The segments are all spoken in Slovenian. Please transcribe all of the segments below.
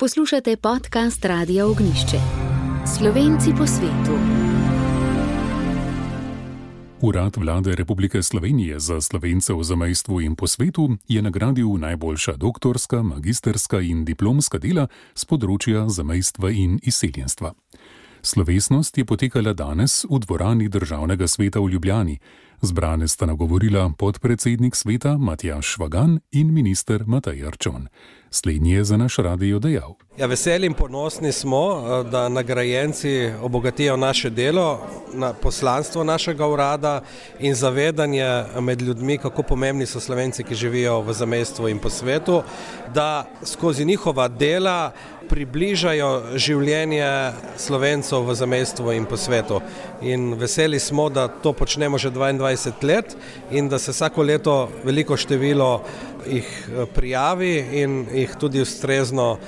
Poslušate podcast Radia Ognjišče. Slovenci po svetu. Urad Vlade Republike Slovenije za Slovence v zamejstvu in po svetu je nagradil najboljša doktorska, magisterska in diplomska dela z področja zamejstva in izseljenstva. Slovesnost je potekala danes v dvorani Državnega sveta v Ljubljani. Zbrane sta nagovorila podpredsednik sveta Matjaž Švagan in minister Matej Arčon. Slednji je za naš radio dejal. Veseli in ponosni smo, da nagrajenci obogatijo naše delo, poslanstvo našega urada in zavedanje med ljudmi, kako pomembni so Slovenci, ki živijo v zamejstvu in po svetu, da skozi njihova dela približajo življenje Slovencov v zamejstvu in po svetu. In veseli smo, da to počnemo že 22 let in da se vsako leto veliko število jih prijavi in jih tudi ustrezno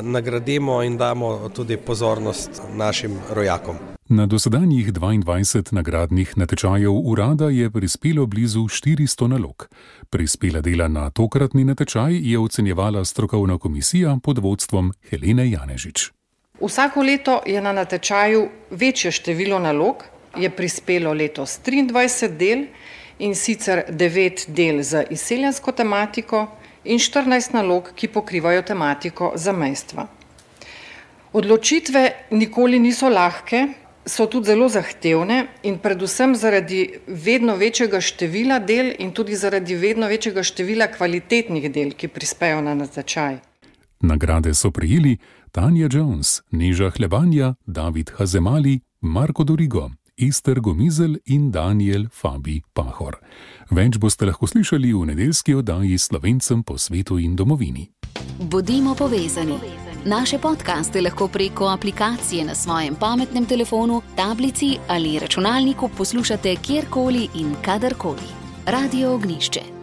nagradimo in damo tudi pozornost našim rojakom. Na dosedanjih 22 nagradnih natečajev urada je prispelo blizu 400 nalog. Prispela dela na tokratni natečaj je ocenjevala strokovna komisija pod vodstvom Helene Janežič. Vsako leto je na natečaju večje število nalog, je prispelo letos 23 del, in sicer 9 del za izseljensko tematiko in 14 nalog, ki pokrivajo tematiko zamejstva. Odločitve nikoli niso lahke, so tudi zelo zahtevne in predvsem zaradi vedno večjega števila del in tudi zaradi vedno večjega števila kvalitetnih del, ki prispejo na natečaj. Nagrade so prejeli Tanja Jones, Neža Hlebanja, David Hazemali, Marko Dorigo, Ester Gomizel in Daniel Fabi Pahor. Več boste lahko slišali v nedeljski oddaji Slovencem po svetu in domovini. Bodimo povezani. Naše podcaste lahko preko aplikacije na svojem pametnem telefonu, tablici ali računalniku poslušate kjerkoli in kadarkoli. Radio Ognjišče.